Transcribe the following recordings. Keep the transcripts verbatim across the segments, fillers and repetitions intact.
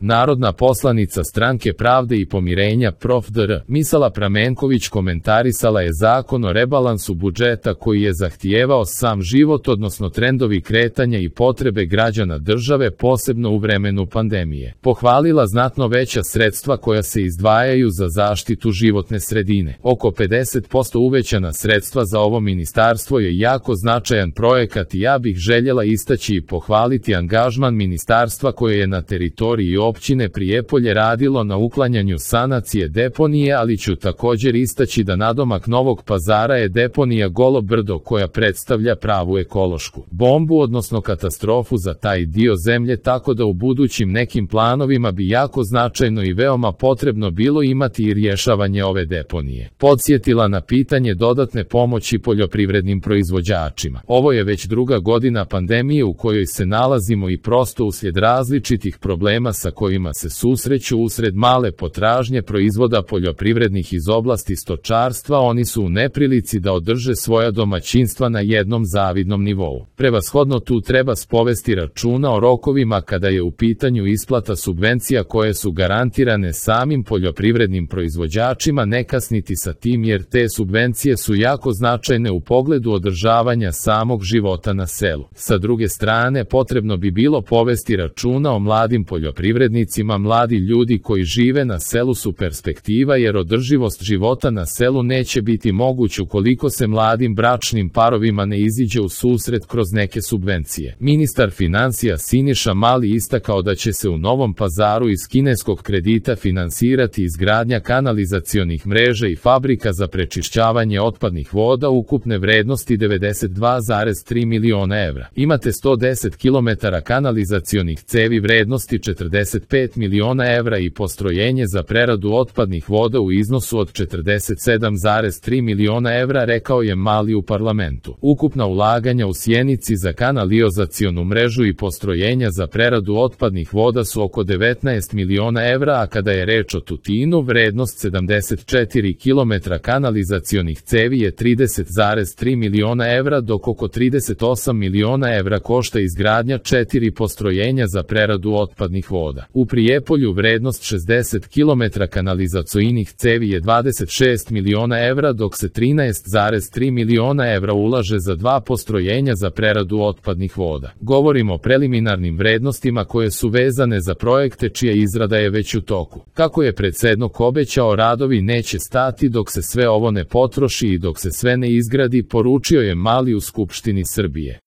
Narodna poslanica Stranke pravde i pomirenja prof dr Misala Pramenković komentarisala je zakon o rebalansu budžeta koji je zahtijevao sam život, odnosno trendovi kretanja i potrebe građana države, posebno u vremenu pandemije. Pohvalila znatno veća sredstva koja se izdvajaju za zaštitu životne sredine. Oko pedeset posto uvećana sredstva za ovo ministarstvo je jako značajan projekat i ja bih željela istaći i pohvaliti angažman ministarstva koje je na teritoriji općine Prijepolje radilo na uklanjanju sanacije deponije, ali ću također istaći da nadomak Novog Pazara je deponija Golo brdo koja predstavlja pravu ekološku bombu, odnosno katastrofu za taj dio zemlje, tako da u budućim nekim planovima bi jako značajno i veoma potrebno bilo imati i rješavanje ove deponije. Podsjetila na pitanje dodatne pomoći poljoprivrednim proizvođačima. Ovo je već druga godina pandemije u kojoj se nalazimo i prosto uslijed različitih problema sa kojima se susreću usred male potražnje proizvoda poljoprivrednih iz oblasti stočarstva, oni su u neprilici da održe svoja domaćinstva na jednom zavidnom nivou. Prevashodno tu treba spovesti računa o rokovima kada je u pitanju isplata subvencija koje su garantirane samim poljoprivrednim proizvođačima, ne kasniti sa tim jer te subvencije su jako značajne u pogledu održavanja samog života na selu. Sa druge strane, potrebno bi bilo povesti računa o mladim poljoprivrednicima. Mladi ljudi koji žive na selu su perspektiva, jer održivost života na selu neće biti moguć ukoliko se mladim bračnim parovima ne iziđe u susret kroz neke subvencije. Ministar financija Siniša Mali istakao da će se u Novom Pazaru iz kineskog kredita finansirati izgradnja kanalizacionih mreža i fabrika za prečišćavanje otpadnih voda ukupne vrednosti devedeset dva zarez tri miliona evra. Imate sto deset kilometara kanalizacionih cevi vrednosti četrdeset pet miliona evra i postrojenje za preradu otpadnih voda u iznosu od četrdeset sedam zarez tri miliona evra, rekao je Mali u parlamentu. Ukupna ulaganja u Sjenici za kanalizacionu mrežu i postrojenja za preradu otpadnih voda su oko devetnaest miliona evra, a kada je reč o Tutinu, vrednost sedamdeset četiri kilometra kanalizacionih cevi je trideset zarez tri miliona evra, dok oko trideset osam miliona evra košta izgradnja četiri postrojenja za preradu otpadnih voda. U Prijepolju vrednost šezdeset kilometara kanalizacionih cevi je dvadeset šest miliona evra, dok se trinaest zarez tri miliona evra ulaže za dva postrojenja za preradu otpadnih voda. Govorimo o preliminarnim vrednostima koje su vezane za projekte čija izrada je već u toku. Kako je predsjednik obećao, radovi neće stati dok se sve ovo ne potroši i dok se sve ne izgradi, poručio je Mali u Skupštini Srbije.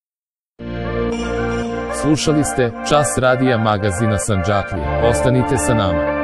Slušali ste Čas radija magazina Sandžaklija. Ostanite sa nama.